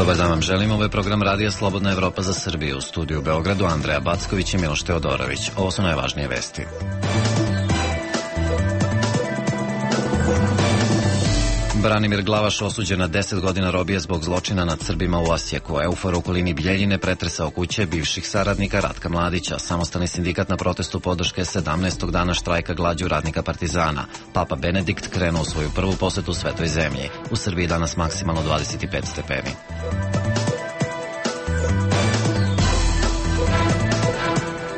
Dobar dan vam želim, ovo je program Radija Slobodna Evropa za Srbiju. U studiju u Beogradu Andreja Backović i Miloš Teodorović. Ovo su najvažnije vesti. Branimir Glavaš osuđen na 10 godina robije zbog zločina nad Srbima u Osijeku. Eufor u okolini Bjeljine pretresao kuće bivših saradnika Ratka Mladića. Samostalni sindikat na protestu podrške 17. dana štrajka glađu radnika Partizana. Papa Benedikt krenuo u svoju prvu posetu Svetoj zemlji. U Srbiji danas maksimalno 25 stepeni.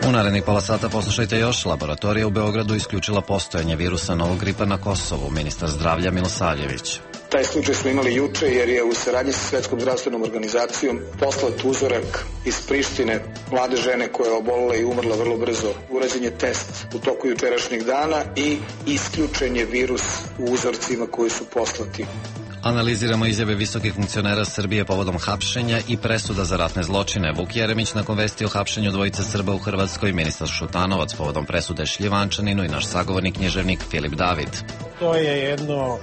U narednih pola sata poslušajte još. Laboratorija u Beogradu isključila postojanje virusa novog gripa na Kosovu. Ministar zdravlja Milosavljević. Taj slučaj smo imali juče jer je u saradnji sa Svetskom zdravstvenom organizacijom poslat uzorak iz Prištine mlade žene koja je obolila i umrla vrlo brzo. Urađen je test u toku jučerašnjeg dana i isključen je virus u uzorcima koji su poslati. Analiziramo izjave visokih funkcionera Srbije povodom hapšenja i presuda za ratne zločine. Vuk Jeremić nakon vesti o hapšenju dvojice Srba u Hrvatskoj, ministar Šutanovac povodom presude Šljivančaninu i naš sagovornik književnik Filip David. To je jedno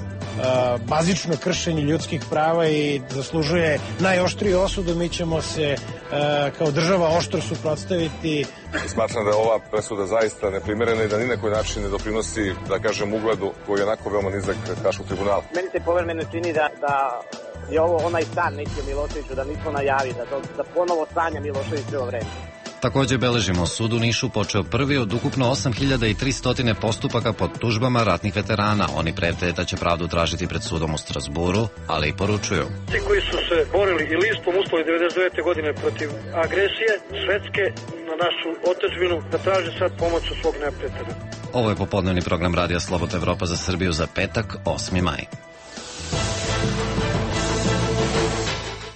bazično kršenje ljudskih prava i zaslužuje najoštriju osudu. Mi ćemo se kao država oštro suprotstaviti. Smatram da je ova presuda zaista neprimerena i da ni na koji način ne doprinosi, da kažem, ugledu koji je onako veoma nizak Haškog tribunala. Meni se povremeno čini da je ovo onaj san Mitje Miloševiću, da nismo najavi, da ponovo sanja Miloševićevo vreme. Također beležimo sud u Nišu počeo prvi od ukupno 8300 postupaka pod tužbama ratnih veterana. Oni prete da će pravdu tražiti pred sudom u Strasburu, ali i poručuju. Ti koji su se borili i listom uslovi 99. godine protiv agresije Švedske na našu otadžbinu, da traže sad pomoć od svog neprijatelja. Ovo je popodnevni program Radija Slobodna Evropa za Srbiju za petak, 8. maj.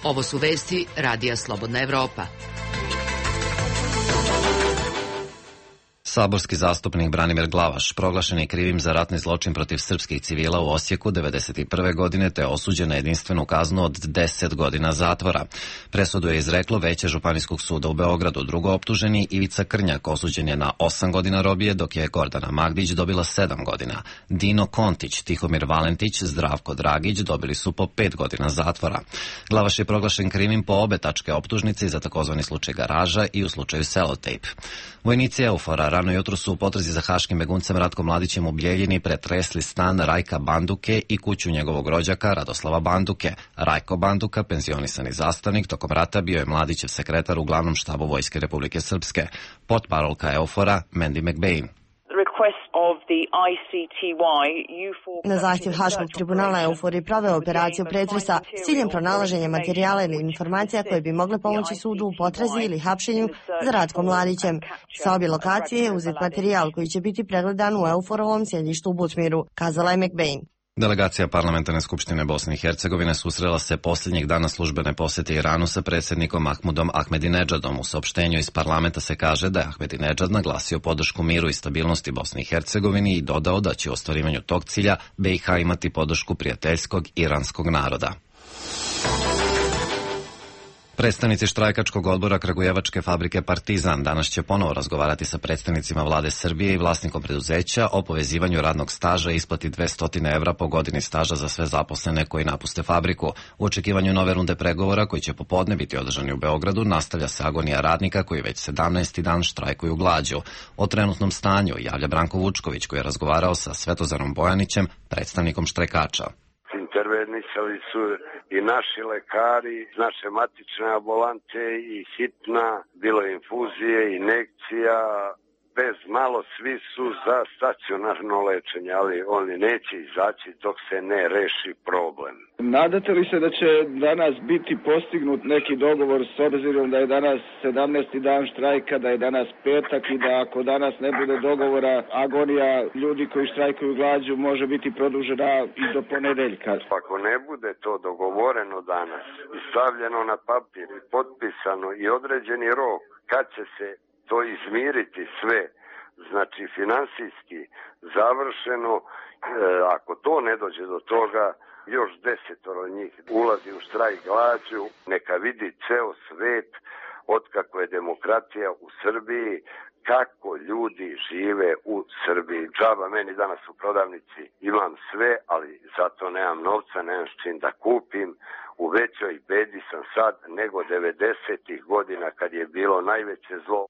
Ovo su vesti Radija Slobodna Evropa. Saborski zastupnik Branimir Glavaš proglašen je krivim za ratni zločin protiv srpskih civila u Osijeku 1991. godine te osuđen na jedinstvenu kaznu od 10 godina zatvora. Presudu je izreklo Veće Županijskog suda u Beogradu. Drugo optuženi Ivica Krnjak osuđen je na 8 godina robije, dok je Gordana Magdić dobila 7 godina. Dino Kontić, Tihomir Valentić, Zdravko Dragić dobili su po 5 godina zatvora. Glavaš je proglašen krivim po obe tačke optužnice za takozvani slučaj Garaža i u slučaju Selotejp. Vojnici Eufora rano jutro su u potrazi za haškim beguncem Ratkom Mladićem u Bjeljini pretresli stan Rajka Banduke i kuću njegovog rođaka Radoslava Banduke. Rajko Banduka, penzionisani zastavnik, tokom rata bio je Mladićev sekretar u glavnom štabu Vojske Republike Srpske. Potparolka Eufora Mandy McBain. Na zahtjev Haškog tribunala Eufor je proveo operaciju pretresa s ciljem pronalaženja materijala ili informacija koje bi mogle pomoći sudu u potrazi ili hapšenju za Ratkom Mladićem. Sa obje lokacije je uzet materijal koji će biti pregledan u Euforovom sjedištu u Butmiru, kazala je McBain. Delegacija Parlamentarne skupštine Bosne i Hercegovine susrela se posljednjeg dana službene posjete Iranu sa predsjednikom Mahmudom Ahmedinedžadom. U saopštenju iz parlamenta se kaže da je Ahmedinedžad naglasio podršku miru i stabilnosti Bosni i Hercegovini i dodao da će u ostvarivanju tog cilja BiH imati podršku prijateljskog iranskog naroda. Predstavnici štrajkačkog odbora Kragujevačke fabrike Partizan danas će ponovo razgovarati sa predstavnicima vlade Srbije i vlasnikom preduzeća o povezivanju radnog staža i isplati 200 evra po godini staža za sve zaposlene koji napuste fabriku. U očekivanju nove runde pregovora koji će popodne biti održani u Beogradu nastavlja se agonija radnika koji već 17. dan štrajkuju glađu. O trenutnom stanju javlja Branko Vučković koji je razgovarao sa Svetozarom Bojanićem, predstavnikom štrajkača. Intervenisali su i naši lekari, naše matične ambulante i hitna, bilo je infuzije, injekcija, bez malo svi su za stacionarno lečenje, ali oni neće izaći dok se ne reši problem. Nadate li se da će danas biti postignut neki dogovor s obzirom da je danas 17. dan štrajka, da je danas petak i da ako danas ne bude dogovora, agonija ljudi koji štrajkuju glađu može biti produžena i do ponedeljka? Ako ne bude to dogovoreno danas i stavljeno na papir i potpisano i određeni rok kad će se to izmiriti sve, znači finansijski završeno, ako to ne dođe do toga, još 10 njih ulazi u štrajk glađu, neka vidi ceo svet otkako je demokratija u Srbiji, kako ljudi žive u Srbiji. Džaba meni danas u prodavnici imam sve, ali zato nemam novca, nemam s čim da kupim. U većoj bedi sam sad nego 90-ih godina kad je bilo najveće zlo.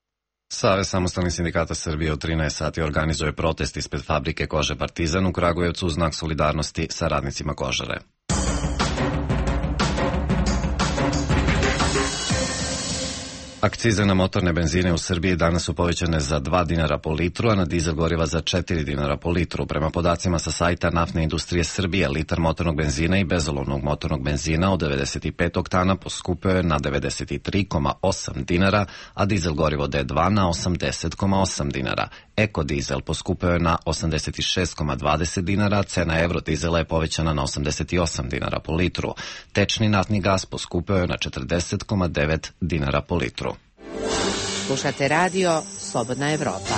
Savez samostalnih sindikata Srbije od 13 sati organizuje protest ispred fabrike kože Partizan u Kragujevcu u znak solidarnosti sa radnicima kožare. Akcize na motorne benzine u Srbiji danas su povećane za 2 dinara po litru, a na dizel goriva za 4 dinara po litru. Prema podacima sa sajta Naftne industrije Srbije, litar motornog benzina i bezolovnog motornog benzina od 95 oktana poskupio je na 93,8 dinara, a dizel gorivo D2 na 80,8 dinara. Ekodizel poskupio je na 86,20 dinara, cena eurodizela je povećana na 88 dinara po litru. Tečni naftni gas poskupio je na 40,9 dinara po litru. Slušate radio Slobodna Evropa.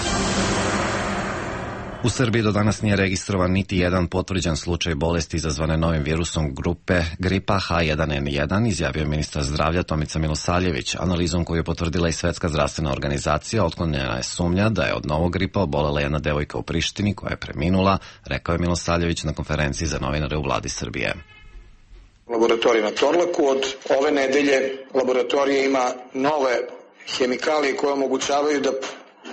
U Srbiji do danas nije registrovan niti jedan potvrđen slučaj bolesti izazvane novim virusom grupe gripa H1N1, izjavio ministar zdravlja Tomica Milosavljević. Analizom koju je potvrdila i Svetska zdravstvena organizacija, otklonjena je sumnja da je od novog gripa obolela jedna devojka u Prištini koja je preminula, rekao je Milosavljević na konferenciji za novinare u vladi Srbije. Laboratorij na Torlaku od ove nedelje laboratorija ima nove hemikalije koje omogućavaju da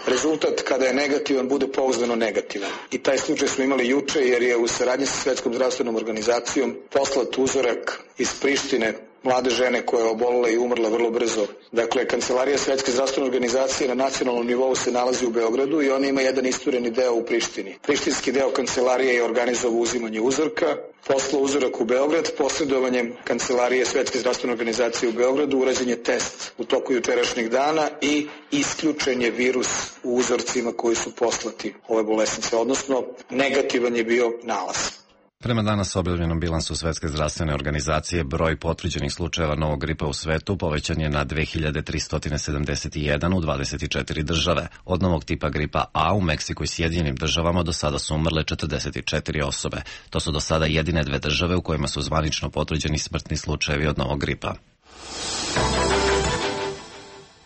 rezultat kada je negativan bude pouzdano negativan. I taj slučaj smo imali juče jer je u saradnji sa Svetskom zdravstvenom organizacijom poslat uzorak iz Prištine mlade žene koja je obolela i umrla vrlo brzo. Dakle, Kancelarija Svetske zdravstvene organizacije na nacionalnom nivou se nalazi u Beogradu i ona ima jedan istureni deo u Prištini. Prištinski deo kancelarije je organizovao uzimanje uzorka, poslao uzorak u Beograd, posredovanjem Kancelarije Svetske zdravstvene organizacije u Beogradu urađen je test u toku jučerašnjeg dana i isključen je virus u uzorcima koji su poslati ove bolesnice, odnosno negativan je bio nalaz. Prema danas objavljenom bilansu Svetske zdravstvene organizacije, broj potvrđenih slučajeva novog gripa u svetu povećan je na 2371 u 24 države. Od novog tipa gripa A u Meksiku i Sjedinjenim državama do sada su umrle 44 osobe. To su do sada jedine 2 države u kojima su zvanično potvrđeni smrtni slučajevi od novog gripa.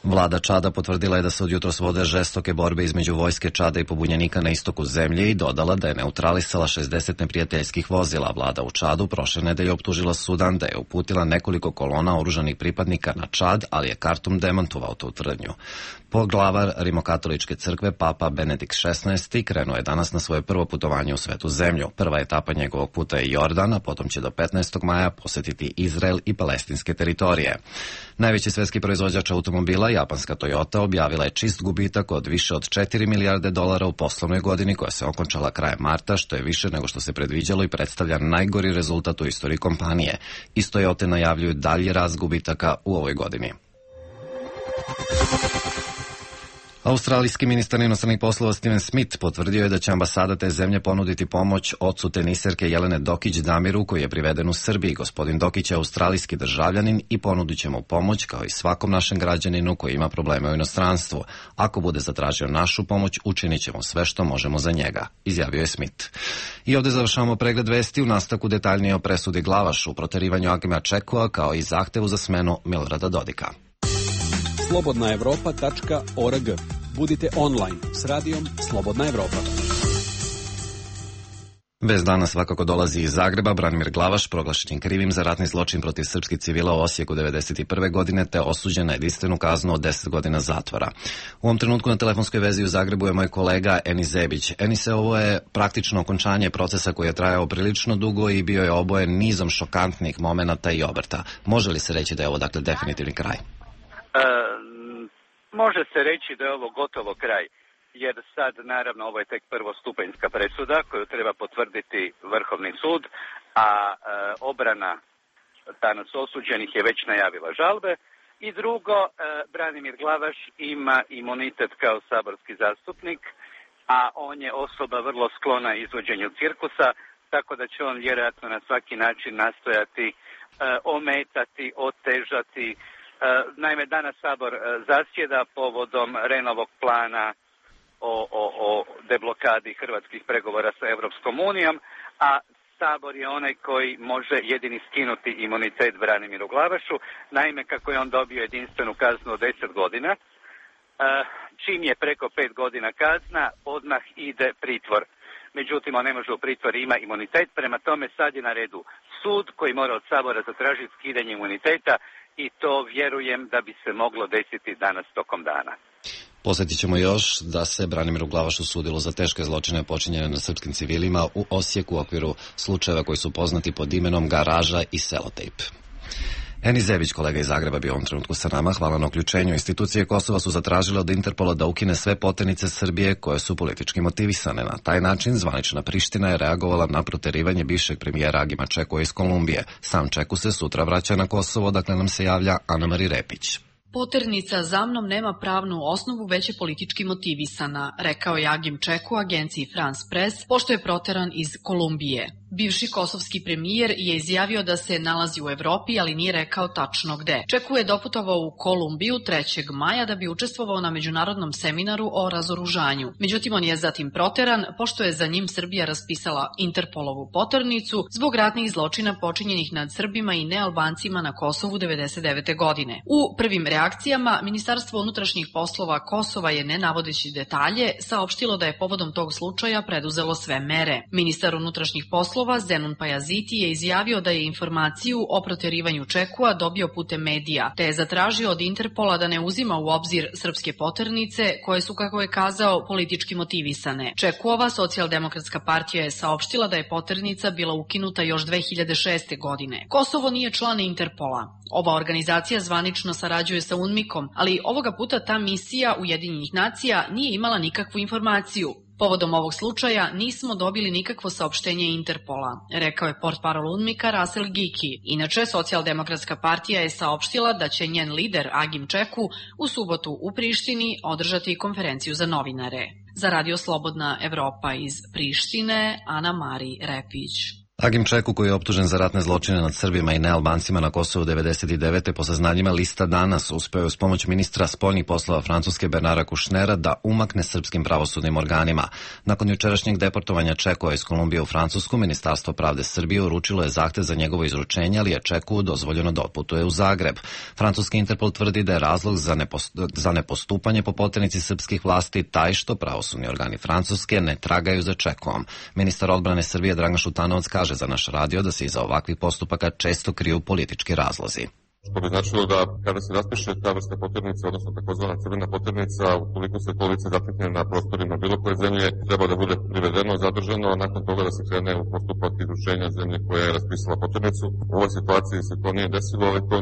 Vlada Čada potvrdila je da se od jutros vode žestoke borbe između vojske Čada i pobunjenika na istoku zemlje i dodala da je neutralisala 60 neprijateljskih vozila. Vlada u Čadu prošle nedelje optužila Sudan da je uputila nekoliko kolona oružanih pripadnika na Čad, ali je Kartum demantovao tu tvrdnju. Poglavar Rimokatoličke crkve, Papa Benedikt XVI, krenuo je danas na svoje prvo putovanje u svetu zemlju. Prva etapa njegovog puta je Jordan, a potom će do 15. maja posetiti Izrael i palestinske teritorije. Najveći svetski proizvođač automobila, japanska Toyota, objavila je čist gubitak od više od 4 milijarde dolara u poslovnoj godini koja se okončala krajem marta, što je više nego što se predviđalo i predstavlja najgori rezultat u istoriji kompanije. Iz Toyote najavljuju dalji rast gubitaka u ovoj godini. Australijski ministar inostranih poslova Steven Smith potvrdio je da će ambasada te zemlje ponuditi pomoć ocu teniserke Jelene Dokić Damiru, koji je priveden u Srbiji. Gospodin Dokić je australijski državljanin i ponudit će mu pomoć kao i svakom našem građaninu koji ima probleme u inostranstvu. Ako bude zatražio našu pomoć, učinit ćemo sve što možemo za njega, izjavio je Smith. I ovde završavamo pregled vesti, u nastavku detaljnije o presudi Glavašu, proterivanju Agima Čekova kao i zahtevu za smenu Milorada Dodika. slobodnaevropa.org. Budite online s radijom Slobodna Evropa. Vest danas svakako dolazi iz Zagreba. Branimir Glavaš proglašen krivim za ratni zločin protiv srpskih civila u Osijeku 1991. godine te osuđen na jedinstvenu kaznu od 10 godina zatvora. U ovom trenutku na telefonskoj vezi u Zagrebu je moj kolega Enis Zebić. Enise, ovo je praktično okončanje procesa koji je trajao prilično dugo i bio je obojen nizom šokantnih momenata i obrta. Može li se reći da je ovo dakle definitivni kraj? Može se reći da je ovo gotovo kraj, jer sad naravno ovo je tek prvostupanjska presuda koju treba potvrditi Vrhovni sud, a obrana danas osuđenih je već najavila žalbe. I drugo, Branimir Glavaš ima imunitet kao saborski zastupnik, a on je osoba vrlo sklona izvođenju cirkusa, tako da će on vjerojatno na svaki način nastojati ometati, otežati. Naime, danas Sabor zasjeda povodom Renovog plana o deblokadi hrvatskih pregovora sa Europskom unijom, a Sabor je onaj koji može jedini skinuti imunitet Branimiru Glavašu. Naime, kako je on dobio jedinstvenu kaznu od 10 godina, čim je preko 5 godina kazna, odmah ide pritvor. Međutim, on ne može u pritvor, ima imunitet, prema tome sad je na redu sud koji mora od Sabora zatražiti skidanje imuniteta i to vjerujem da bi se moglo desiti danas tokom dana. Posjetit ćemo još da se Branimiru Glavašu sudilo za teške zločine počinjene na srpskim civilima u Osijeku u okviru slučajeva koji su poznati pod imenom Garaža i Selotejp. Eni Zebić, kolega iz Zagreba, bio u ovom trenutku sa nama. Hvala na uključenju. Institucije Kosova su zatražile od Interpola da ukine sve poternice Srbije koje su politički motivisane. Na taj način zvanična Priština je reagovala na proterivanje bivšeg premijera Agima Čekua iz Kolumbije. Sam Čeku se sutra vraća na Kosovo, dakle nam se javlja Ana-Mari Repić. Poternica za mnom nema pravnu osnovu, već je politički motivisana, rekao je Agim Čeku agenciji France Press, pošto je proteran iz Kolumbije. Bivši kosovski premijer je izjavio da se nalazi u Evropi, ali nije rekao tačno gde. Čeku je doputovao u Kolumbiju 3. maja da bi učestvovao na međunarodnom seminaru o razoružanju. Međutim, on je zatim proteran, pošto je za njim Srbija raspisala Interpolovu poternicu zbog ratnih zločina počinjenih nad Srbima i nealbancima na Kosovu 1999. godine. U prvim reakcijama Ministarstvo unutrašnjih poslova Kosova je, ne navodeći detalje, saopštilo da je povodom tog slučaja preduzelo sve mere. Ministar unutrašnjih poslova Zenun Pajaziti je izjavio da je informaciju o proterivanju Čekua dobio putem medija, te je zatražio od Interpola da ne uzima u obzir srpske poternice koje su, kako je kazao, politički motivisane. Čekuova socijaldemokratska partija je saopštila da je poternica bila ukinuta još 2006. godine. Kosovo nije član Interpola. Ova organizacija zvanično sarađuje sa UNMIK-om, ali ovoga puta ta misija Ujedinjenih nacija nije imala nikakvu informaciju. Povodom ovog slučaja nismo dobili nikakvo saopštenje Interpola, rekao je portparol UNMIK-a Rasel Giki. Inače, socijaldemokratska partija je saopštila da će njen lider Agim Čeku u subotu u Prištini održati konferenciju za novinare. Za Radio Slobodna Evropa iz Prištine, Ana-Mari Repić. Agim Čeku, koji je optužen za ratne zločine nad Srbima i nealbancima na Kosovu 1999. po saznanjima lista Danas, uspeo je uz pomoć ministra spoljnih poslova Francuske Bernara Kušnera da umakne srpskim pravosudnim organima. Nakon jučerašnjeg deportovanja Čekua iz Kolumbije u Francusku, Ministarstvo pravde Srbije uručilo je zahtev za njegovo izručenje, ali je Čeku dozvoljeno da otputuje u Zagreb. Francuski Interpol tvrdi da je razlog za nepostupanje po poternici srpskih vlasti taj što pravosudni organi Francuske ne tragaju za Čekuom. Ministar odbrane Srbije Dragan Šutanovac kaže za naš radio da se iza ovakvih postupaka često kriju politički razlozi. Što bi značilo da kada se raspiše ta vrsta poternice, odnosno takozvana crvena poternica, ukoliko se to lice zatekne na prostorima bilo koje zemlje, treba da bude privedeno, zadržano, a nakon toga da se krene u postupak izručenja zemlje koja je raspisala poternicu. U ovoj situaciji se to nije desilo, ali to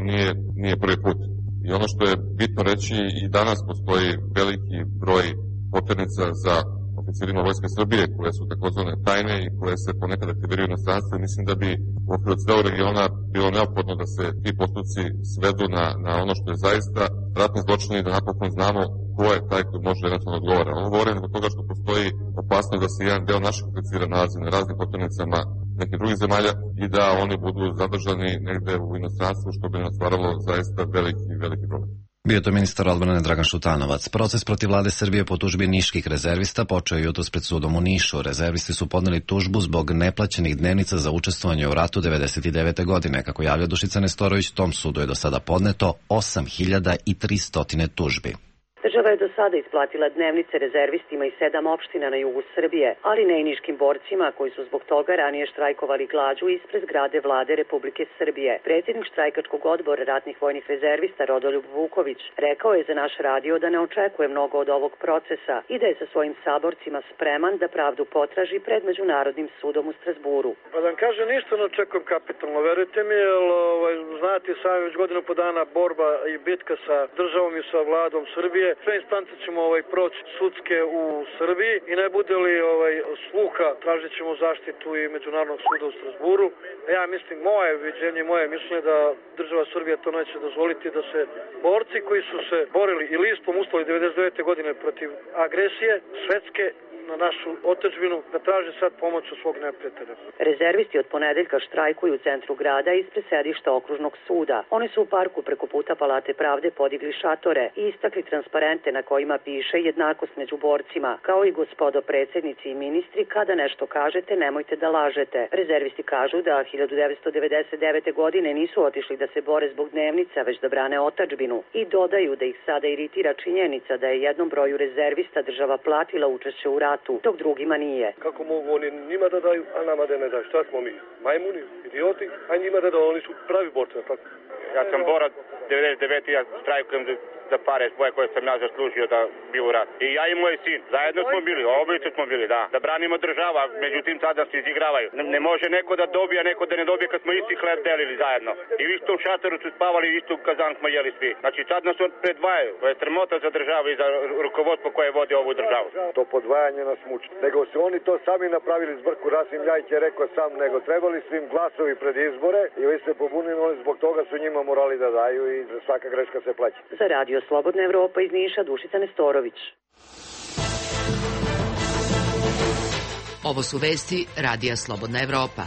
nije prvi put. I ono što je bitno reći, i danas postoji veliki broj poternica za oficirima Vojske Srbije, koje su takozvane tajne i koje se ponekad aktiviraju na stranstvu. Mislim da bi u okviru celog regiona bilo neophodno da se ti postupci svedu na ono što je zaista ratni zločin i da napokon znamo ko je taj koji može eventualno odgovara. Ovo govorim zbog toga što postoji opasnost da se jedan deo naših oficira nalazi na raznim poternicama nekih drugih zemalja i da oni budu zadržani negde u inostranstvu, što bi nam stvaralo zaista veliki problem. Bio je to ministar odbrane Dragan Šutanovac. Proces protiv vlade Srbije po tužbi niških rezervista počeo je jutros pred sudom u Nišu. Rezervisti su podneli tužbu zbog neplaćenih dnevnica za učestvovanje u ratu 1999. godine. Kako javlja Dušica Nestorović, tom sudu je do sada podneto 8.300 tužbi. Država je do sada isplatila dnevnice rezervistima iz 7 opština na jugu Srbije, ali ne i niškim borcima koji su zbog toga ranije štrajkovali glađu ispred zgrade vlade Republike Srbije. Predsjednik štrajkačkog odbora ratnih vojnih rezervista Rodoljub Vuković rekao je za naš radio da ne očekuje mnogo od ovog procesa i da je sa svojim saborcima spreman da pravdu potraži pred Međunarodnim sudom u Strasburu. Pa da vam kažem, ništa ne očekujem kapitalno, verujte mi, jer znate sami već godinu po dana borba i bitka sa državom i sa vladom Srbije. Sve instance ćemo proći sudske u Srbiji i ne bude li sluha, tražit ćemo zaštitu i Međunarodnog suda u Strasburu. Ja mislim, moje viđenje, moje mišljenje da država Srbija to neće dozvoliti, da se borci koji su se borili i listom uslovi 1999. godine protiv agresije Švedske na našu otadžbinu, da traže sad pomoć od svog neprijatelja. Rezervisti od ponedeljka štrajkuju u centru grada ispred sedišta okružnog suda. Oni su u parku preko puta Palate pravde podigli šatore i istakli transparente na kojima piše jednakost među borcima, kao i gospodo predsjednici i ministri, kada nešto kažete, nemojte da lažete. Rezervisti kažu da 1999. godine nisu otišli da se bore zbog dnevnica, već da brane otadžbinu i dodaju da ih sada iritira činjenica da je jednom broju rezervista država platila učešće u ratu ratu, dok drugima nije. Kako mogu oni njima da daju, a nama da ne daju? Šta smo mi? Majmuni, idioti, a njima da daju, oni su pravi borci, tako? Ja sam borac 99. ja štrajkujem za pare svoje koje sam ja zaslužio da bi u rat. I ja i moj sin, zajedno smo bili, obojice smo bili, da branimo država, međutim sada se izigravaju. Ne može neko da dobije, neko da ne dobije kad smo isti hleb delili zajedno. I u istom šatoru su spavali, i istu kazan smo jeli svi. Znači sad nas predvajaju, to je sramota za državu i za rukovodstvo koje vodi ovu državu. To podvajanje nas muči. Nego su oni to sami napravili zbrku, Rasim Ljajić je rekao sam, nego trebali su im glasovi pred izbore i vi se pobunili, zbog toga su njima morali da daju i svaka greška se plaća. Za Radio Slobodna Evropa iz Niša, Dušica Nestorović. Ovo su vesti Radija Slobodna Evropa.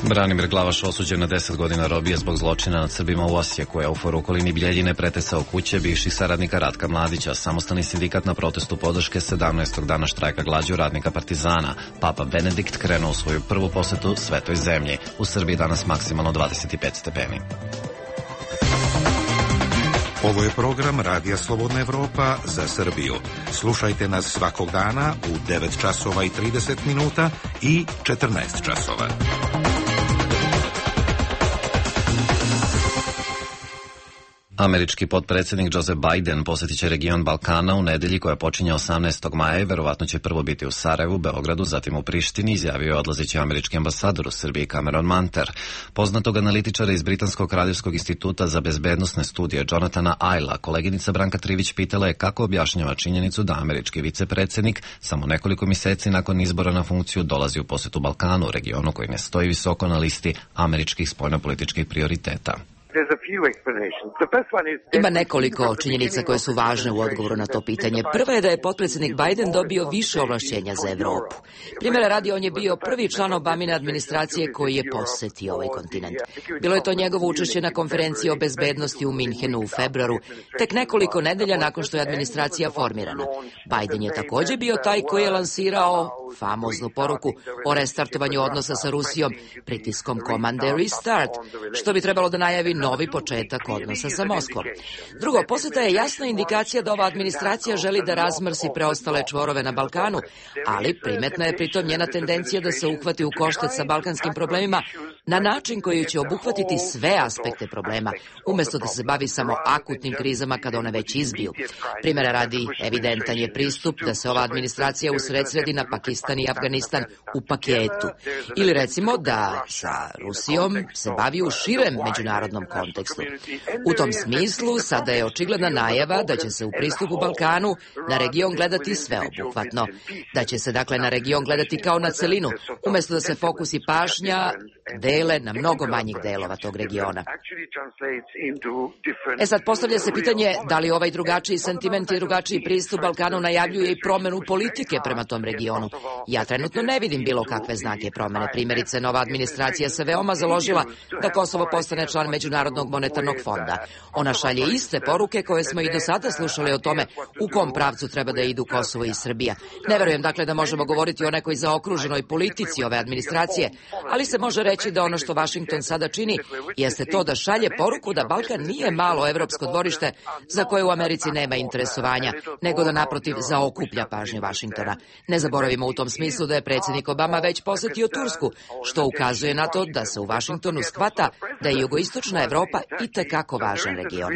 Branimir Glavaš osuđen na 10 godina robije zbog zločina nad Srbima u Osijeku. EUFOR u okolini Bijeljine pretresao kuće bivših saradnika Ratka Mladića. Samostalni sindikat na protestu podrške 17. dana štrajka glađu radnika Partizana. Papa Benedikt krenuo u svoju prvu posetu Svetoj zemlji. U Srbiji danas maksimalno 25 stepeni. Ovo je program Radija Slobodna Evropa za Srbiju. Slušajte nas svakog dana u 9 časova i 30 minuta i 14 časova. Američki potpredsjednik Joe Biden posjetit će region Balkana u nedelji koja počinje 18. maja i verovatno će prvo biti u Sarajevu, Beogradu, zatim u Prištini, izjavio je odlazeći američki ambasador u Srbiji Cameron Manter. Poznatog analitičara iz Britanskog kraljevskog instituta za bezbednosne studije Jonathana Ayla, koleginica Branka Trivić pitala je kako objašnjava činjenicu da američki vicepredsjednik samo nekoliko mjeseci nakon izbora na funkciju dolazi u posjetu Balkanu, regionu koji ne stoji visoko na listi američkih spoljnopolitičkih prioriteta. Ima nekoliko činjenica koje su važne u odgovoru na to pitanje. Prva je da je potpredsjednik Biden dobio više ovlašćenja za Evropu. Primjera radi, on je bio prvi član Obamine administracije koji je posjetio ovaj kontinent. Bilo je to njegovo učešće na konferenciji o bezbednosti u Minhenu u februaru, tek nekoliko nedelja nakon što je administracija formirana. Biden je također bio taj koji je lansirao famoznu poruku o restartovanju odnosa sa Rusijom pritiskom komande Restart, što bi trebalo da najavi novi početak odnosa sa Moskvom. Drugo, posjeta je jasna indikacija da ova administracija želi da razmrsi preostale čvorove na Balkanu, ali primetna je pritom njena tendencija da se uhvati u koštac sa balkanskim problemima na način koji će obuhvatiti sve aspekte problema, umjesto da se bavi samo akutnim krizama kada one već izbiju. Primjera radi, evidentan je pristup da se ova administracija usredsredi na Pakistan i Afganistan u paketu. Ili recimo da sa Rusijom se bavi u širem međunarodnom kontekstu. U tom smislu sada je očigledna najava da će se u pristupu Balkanu na region gledati sveobuhvatno. Da će se dakle na region gledati kao na celinu, umjesto da se fokus i pažnja dele na mnogo manjih delova tog regiona. Sad postavlja se pitanje da li ovaj drugačiji sentiment i drugačiji pristup Balkanu najavljuje i promjenu politike prema tom regionu. Ja trenutno ne vidim bilo kakve znake promjene. Primjerice, nova administracija se veoma založila da Kosovo postane član Međunarodnog monetarnog fonda. Ona šalje iste poruke koje smo i do sada slušali o tome u kom pravcu treba da idu Kosovo i Srbija. Ne verujem dakle da možemo govoriti o nekoj zaokruženoj politici ove administracije, ali se može reći da ono što Washington sada čini jeste to da šalje poruku da Balkan nije malo evropsko dvorište za koje u Americi nema interesovanja, nego da naprotiv zaokuplja pažnju Washingtona. Ne zaboravimo u tom smislu da je predsjednik Obama već posjetio Tursku, što ukazuje na to da se u Washingtonu shvata da je jugoistočna Evropa itekako važan region.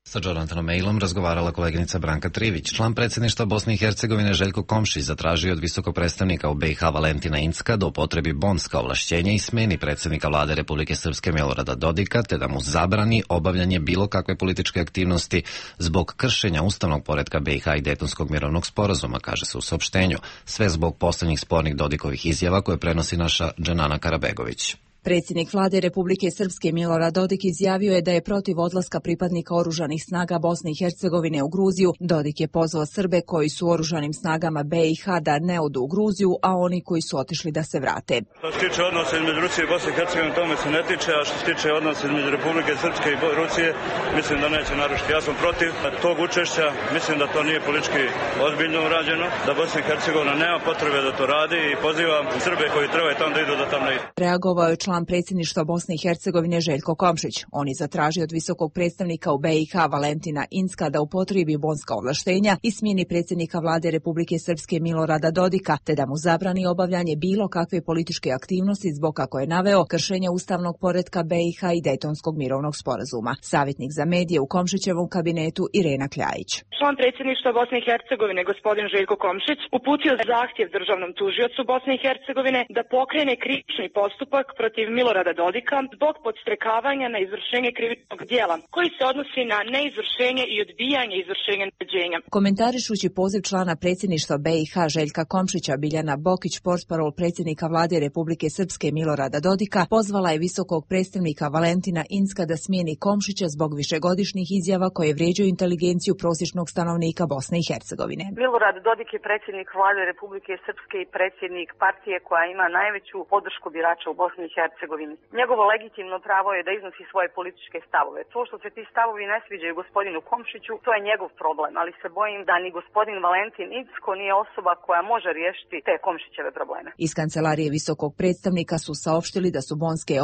Sa Jonathanom Aylom razgovarala koleginica Branka Trivić. Član predsjedništva Bosne i Hercegovine Željko Komšić zatražio od visokog predstavnika u BiH Valentina Incka da upotrebi bonska ovlašćenja i smeni predsjednika vlade Republike Srpske Milorada Dodika, te da mu zabrani obavljanje bilo kakve političke aktivnosti zbog kršenja ustavnog poretka BiH i Dejtonskog mirovnog sporazuma, kaže se u saopštenju. Sve zbog posljednjih spornih Dodikovih izjava koje prenosi naša Dženana Karabegović. Predsjednik vlade Republike Srpske Milorad Dodik izjavio je da je protiv odlaska pripadnika oružanih snaga Bosne i Hercegovine u Gruziju. Dodik je pozvao Srbe koji su u oružanim snagama BiH da ne odu u Gruziju, a oni koji su otišli da se vrate. Što se tiče odnosa između Rusije i Bosne i Hercegovine, tome se ne tiče, a što se tiče odnosa između Republike Srpske i Rusije, mislim da neće narušiti. Ja sam protiv tog učešća, mislim da to nije politički ozbiljno urađeno, da Bosna i Hercegovina nema potrebe da to radi i pozivam Srbe koji trebaju tamo da idu da tamo ne idu. Reagovao je član član predsjedništva Bosne i Hercegovine Željko Komšić. On je zatražio od visokog predstavnika u BiH Valentina Incka da upotrebi bonska ovlaštenja i smijeni predsjednika vlade Republike Srpske Milorada Dodika, te da mu zabrani obavljanje bilo kakve političke aktivnosti zbog, kako je naveo, kršenja ustavnog poretka BiH i Dejtonskog mirovnog sporazuma. Savjetnik za medije u Komšićevom kabinetu Irena Kljajić. Član predsjedništva Bosne i Hercegovine gospodin Željko Komšić uputio zahtjev državnom tužiocu Bosne i Hercegovine da pokrene krivični postupak protiv Milorada Dodika zbog podstrekavanja na izvršenje krivičnog djela koji se odnosi na neizvršenje i odbijanje izvršenja naređenja. Komentarišući poziv člana predsjedništva BiH Željka Komšića, Biljana Bokić, portparol predsjednika vlade Republike Srpske Milorada Dodika, pozvala je visokog predstavnika Valentina Incka da smijeni Komšića zbog višegodišnjih izjava koje vrijeđaju inteligenciju prosječnog stanovnika Bosne i Hercegovine. Milorad Dodik je predsjednik vlade Republike Srpske i predsjednik partije koja ima najveću podršku birača u Bosni i Hercegovini. Njegovo legitimno pravo je da iznosi svoje političke stavove. To što se ti stavovi ne sviđaju gospodinu Komšiću, to je njegov problem, ali se bojim da ni gospodin Valentin Incko nije osoba koja može riješiti te Komšićeve probleme. Iz kancelarije visokog predstavnika su saopštili da su bonske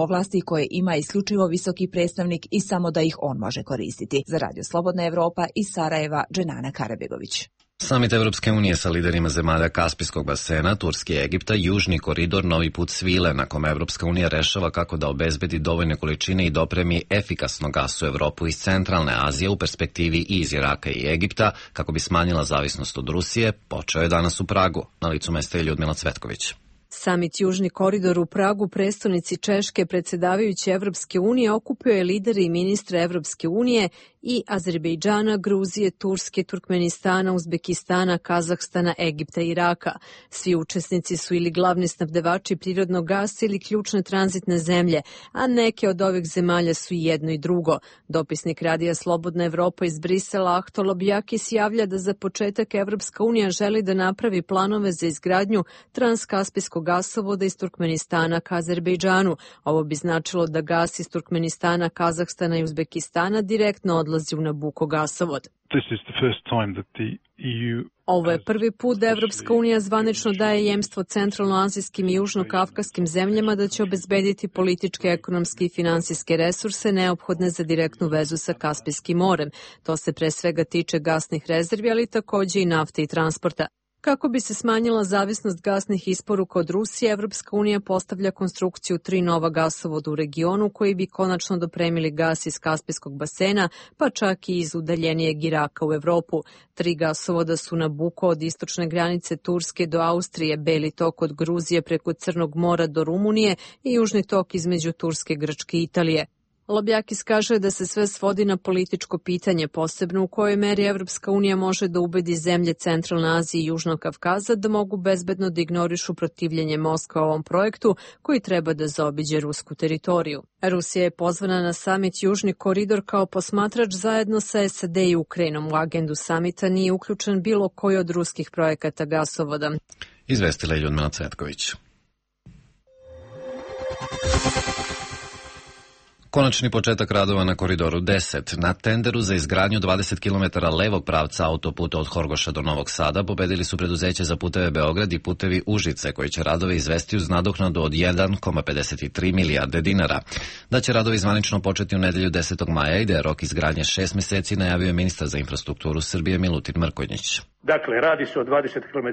ovlasti koje ima isključivo visoki predstavnik i samo da ih on može koristiti. Za Radio Slobodna Evropa iz Sarajeva, Dženana Karabegović. Samit Evropske unije sa liderima zemalja Kaspijskog basena, Turske i Egipta, južni koridor Novi put svile, na kome Evropska unija rešava kako da obezbedi dovoljne količine i dopremi efikasno gas u Evropu iz centralne Azije, u perspektivi i iz Iraka i Egipta, kako bi smanjila zavisnost od Rusije, počeo je danas u Pragu. Na licu mesta je Ljudmila Cvetković. Samit Južni koridor u Pragu, prestonici Češke, predsjedavajući Evropske unije, okupio je lidere i ministre Evropske unije i Azerbejdžana, Gruzije, Turske, Turkmenistana, Uzbekistana, Kazahstana, Egipta i Iraka. Svi učesnici su ili glavni snabdevači prirodnog gasa ili ključne tranzitne zemlje, a neke od ovih zemalja su i jedno i drugo. Dopisnik Radija Slobodna Evropa iz Brisela, Ahto Lobjakis, javlja da za početak Evropska unija želi da napravi planove za izgradnju transkaspijskog gasovoda iz Turkmenistana ka Azerbejdžanu. Ovo bi značilo da gas iz Turkmenistana, Kazahstana i Uzbekistana direktno odlazi u Nabuko gasovod. Ovo je prvi put da Evropska unija zvanično daje jemstvo centralnoazijskim i južnokavkaskim zemljama da će obezbediti političke, ekonomske i finansijske resurse neophodne za direktnu vezu sa Kaspijskim morem. To se pre svega tiče gasnih rezervi, ali takođe i nafte i transporta. Kako bi se smanjila zavisnost gasnih isporuka od Rusije, Evropska unija postavlja konstrukciju 3 nova gasovoda u regionu koji bi konačno dopremili gas iz Kaspijskog basena, pa čak i iz udaljenijeg Iraka u Evropu. 3 gasovoda su Nabuko od istočne granice Turske do Austrije, Beli tok od Gruzije preko Crnog mora do Rumunije i Južni tok između Turske, Grčke i Italije. Lobjakis kaže da se sve svodi na političko pitanje, posebno u kojoj meri Evropska unija može da ubedi zemlje Centralne Azije i Južnog Kavkaza da mogu bezbedno da ignorišu protivljenje Moskva ovom projektu koji treba da zaobiđe rusku teritoriju. Rusija je pozvana na samit Južni koridor kao posmatrač zajedno sa SAD i Ukrajinom. U agendu samita nije uključen bilo koji od ruskih projekata gasovoda. Izvestila je Ljudmila Cvetković. Konačni početak radova na Koridoru 10. Na tenderu za izgradnju 20 km levog pravca autoputa od Horgoša do Novog Sada pobedili su preduzeće za puteve Beograd i putevi Užice, koji će radove izvesti uz nadoknadu od 1,53 milijarde dinara. Da će radovi zvanično početi u nedelju 10. maja i da je rok izgradnje 6 meseci, najavio je ministar za infrastrukturu Srbije Milutin Mrkonjić. Dakle, radi se o 20 km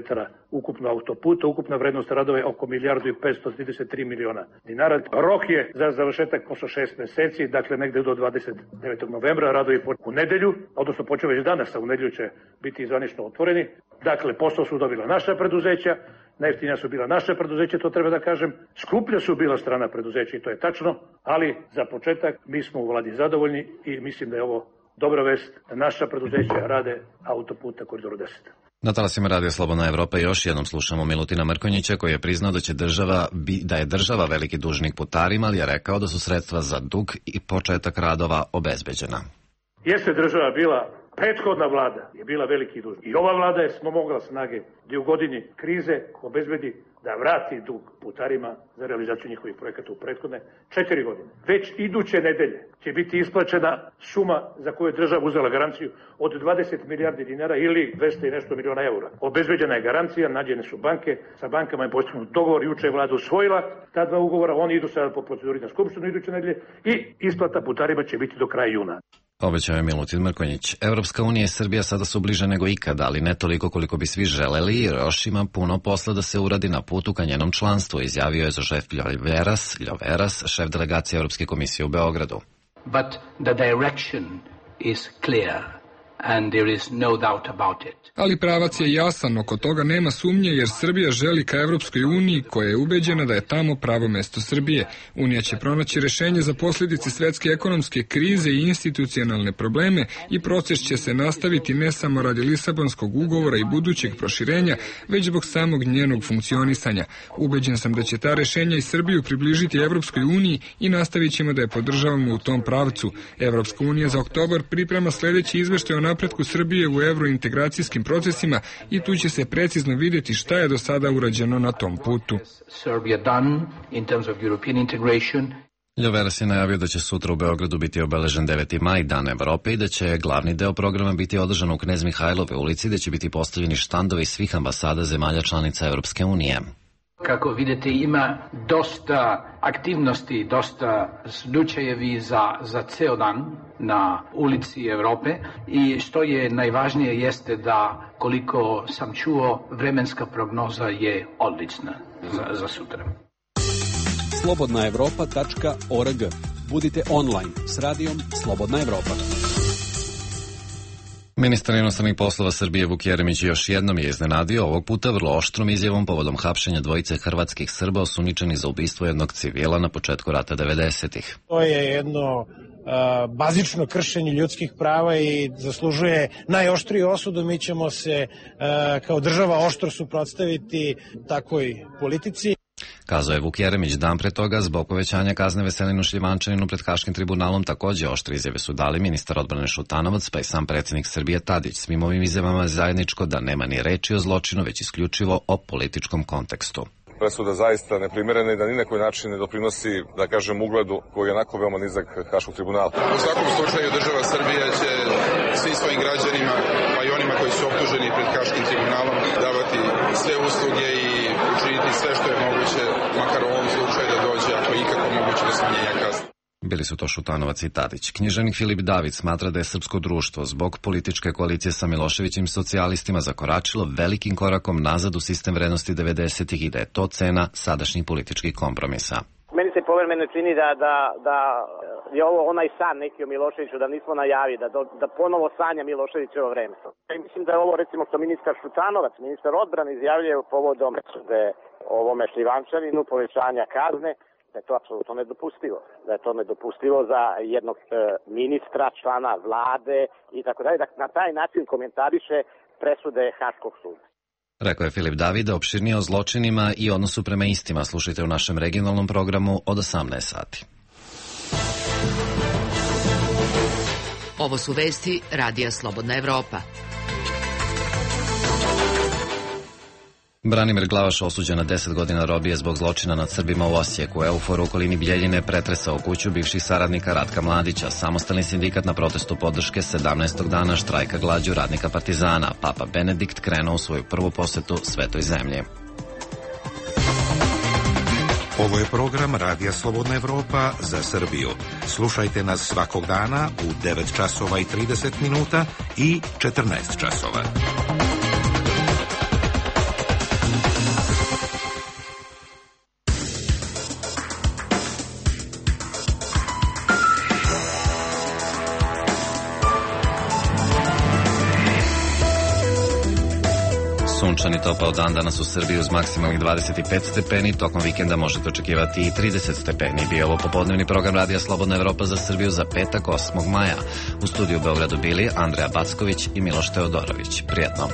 ukupno autoputa, ukupna vrednost radova je oko 1,533 miliona dinara. Rok je za završetak posle 6 meseci, dakle negde do 29. novembra, radovi u nedelju, odnosno počeo već danas, a u nedelju će biti zvanično otvoreni. Dakle, posao su dobila naša preduzeća, najjeftinija su bila naša preduzeća, to treba da kažem, skuplja su bila strana preduzeća i to je tačno, ali za početak mi smo u vladi zadovoljni i mislim da je ovo dobra vest da naša preduzeća rade autoput na Koridoru 10. Na talasima Radija Slobodna Evropa još jednom slušamo Milutina Mrkonjića, koji je priznao da je država veliki dužnik putarima, ali je rekao da su sredstva za dug i početak radova obezbeđena. Jeste država bila, prethodna vlada je bila veliki dužnik. I ova vlada je smogla snage da u godini krize obezbedi da vrati dug putarima za realizaciju njihovih projekata u prethodne 4 godine. Već iduće nedelje će biti isplaćena suma za koju je država uzela garanciju od 20 milijardi dinara ili 200 i nešto miliona eura. Obezbeđena je garancija, nađene su banke, sa bankama je postignut dogovor, juče je vlada usvojila ta 2 ugovora, oni idu sada po proceduri na skupštinu iduće nedelje i isplata putarima će biti do kraja juna. Obećao je Milutin Mrkonjić. Evropska unija i Srbija sada su bliže nego ikada, ali ne toliko koliko bi svi želeli, jer još ima puno posla da se uradi na putu ka njenom članstvu, izjavio je Josef Ljoveras, šef delegacije Evropske komisije u Beogradu. But the direction is clear. And there is no doubt about it. Ali pravac je jasan, oko toga nema sumnje, jer Srbija želi ka Evropskoj uniji, koja je ubeđena da je tamo pravo mesto Srbije. Unija će pronaći rešenje za posljedice svetske ekonomske krize i institucionalne probleme i proces će se nastaviti ne samo radi Lisabonskog ugovora i budućeg proširenja, već zbog samog njenog funkcionisanja. Ubeđen sam da će ta rešenja i Srbiju približiti Evropskoj uniji i nastavit ćemo da je podržavamo u tom pravcu. Evropska unija za oktobar priprema sledeći izveštaj o napretku Srbije u evrointegracijskim procesima i tu će se precizno vidjeti šta je do sada urađeno na tom putu. Ljoveras je najavio da će sutra u Beogradu biti obeležen 9. maj, Dan Evrope, i da će glavni deo programa biti održan u Knez Mihajlove ulici, gde će biti postavljeni štandovi svih ambasada zemalja članica Evropske unije. Kako vidite, ima dosta aktivnosti, dosta slučajevi za ceo dan na ulici Evrope i što je najvažnije jeste da, koliko sam čuo, vremenska prognoza je odlična za sutra. slobodnaevropa.org. Budite online s radijom Slobodna Evropa. Ministar inostranih poslova Srbije Vuk Jeremić još jednom je iznenadio, ovog puta vrlo oštrom izjavom povodom hapšenja dvojice hrvatskih Srba osuđenih za ubistvo jednog civila na početku rata 90-ih. To je jedno bazično kršenje ljudskih prava i zaslužuje najoštriju osudu. Mi ćemo se kao država oštro suprotstaviti takvoj politici. Kazao je Vuk Jeremić dan pre toga. Zbog povećanja kazne Veselinu Šljivančaninu pred Haškim tribunalom takođe oštre izjave su dali ministar odbrane Šutanovac, pa i sam predsjednik Srbije Tadić. Svim ovim izjavama je zajedničko da nema ni reči o zločinu, već isključivo o političkom kontekstu. Presuda zaista neprimerena i da ni na koji način ne doprinosi, da kažem, ugledu koji je onako veoma nizak Haškog tribunala. U svakom slučaju država Srbija će svim svojim građanima, pa i onima koji su optuženi pred Haškim tribunalom, davati sve usluge i učiniti sve što je moguće, makar u ovom slučaju da dođe, ako je ikako moguće, do smanjenja kazne. Bili su to Šutanovac i Tadić. Književnik Filip David smatra da je srpsko društvo zbog političke koalicije sa Miloševićim socijalistima zakoračilo velikim korakom nazad u sistem vrednosti 90-ih i da je to cena sadašnjih političkih kompromisa. Meni se povremeno čini da je ovo onaj san neki o Miloševiću, da nismo najavi, da ponovo sanja Miloševićevo vreme. I mislim da je ovo, recimo, što ministar Šutanovac, ministar odbrane, izjavljuje povodom ovome Šljivančaninu, povećanja kazne, da je to apsolutno nedopustivo. Da je to nedopustivo za jednog ministra, člana vlade i tako dalje. Da na taj način komentariše presude Haškog suda. Rekao je Filip Davide. Opširnije o zločinima i odnosu prema istima slušajte u našem regionalnom programu od 18 sati. Ovo su vesti Radija Slobodna Evropa. Branimir Glavaš osuđen na 10 godina robije zbog zločina nad Srbima u Osijeku. EUFOR u okolini Bjeljine pretresao kuću bivših saradnika Ratka Mladića. Samostalni sindikat na protestu podrške 17. dana štrajka glađu radnika Partizana. Papa Benedikt krenuo u svoju prvu posetu Svetoj zemlji. Ovo je program Radija Slobodna Evropa za Srbiju. Slušajte nas svakog dana u 9 časova i 30 minuta i 14 časova. Sunčani topao dan danas u Srbiji uz maksimalnih 25 stepeni. Tokom vikenda možete očekivati i 30 stepeni. Bio ovo popodnevni program Radija Slobodna Evropa za Srbiju za petak 8. maja. U studiju u Beogradu bili Andreja Backović i Miloš Teodorović. Prijetno.